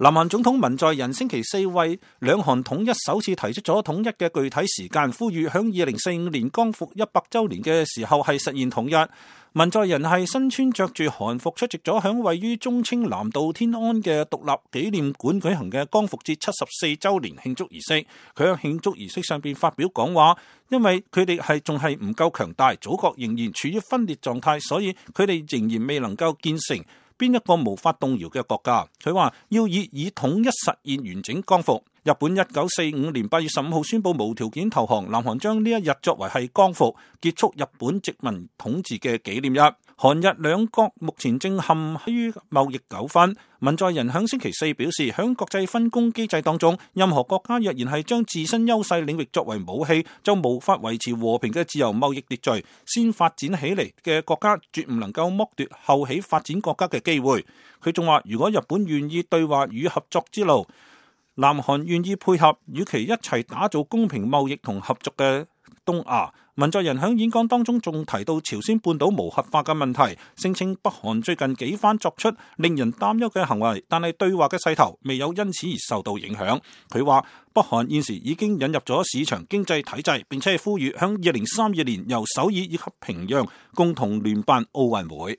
南韓總統文在寅星期四為兩韓統一首次提出咗統一嘅具體時間，呼籲響2045年光復100週年嘅時候係實現統一。文在寅係身穿着住韓服出席咗響位於忠清南道天安嘅獨立紀念館舉行嘅光復節74週年慶祝儀式。佢喺慶祝儀式上邊發表講話，因為佢哋仲係唔夠強大，祖國仍然處於分裂狀態，所以佢哋仍然未能夠建成邊一個無法動搖嘅國家。佢話要以統一實現完整光復。日本1945年8月15號宣布無條件投降，南韓將呢一日作為係光復結束日本殖民統治嘅紀念日。韓日兩國目前正陷於貿易糾紛。文在寅響星期四表示，響國際分工機制當中，任何國家若然係將自身優勢領域作為武器，就無法維持和平嘅自由貿易秩序。先發展起嚟嘅國家絕唔能夠剝奪後起發展國家嘅機會。佢仲話，如果日本願意對話與合作之路，南韓願意配合，與其一齊打造公平貿易同合作嘅東亞。文在寅喺演講當中仲提到朝鮮半島無核化嘅問題，聲稱北韓最近幾番作出令人擔憂嘅行為，但係對話嘅勢頭未有因此而受到影響。佢話北韓現時已經引入咗市場經濟體制，並且係呼籲喺2032年由首爾以及平壤共同聯辦奧運會。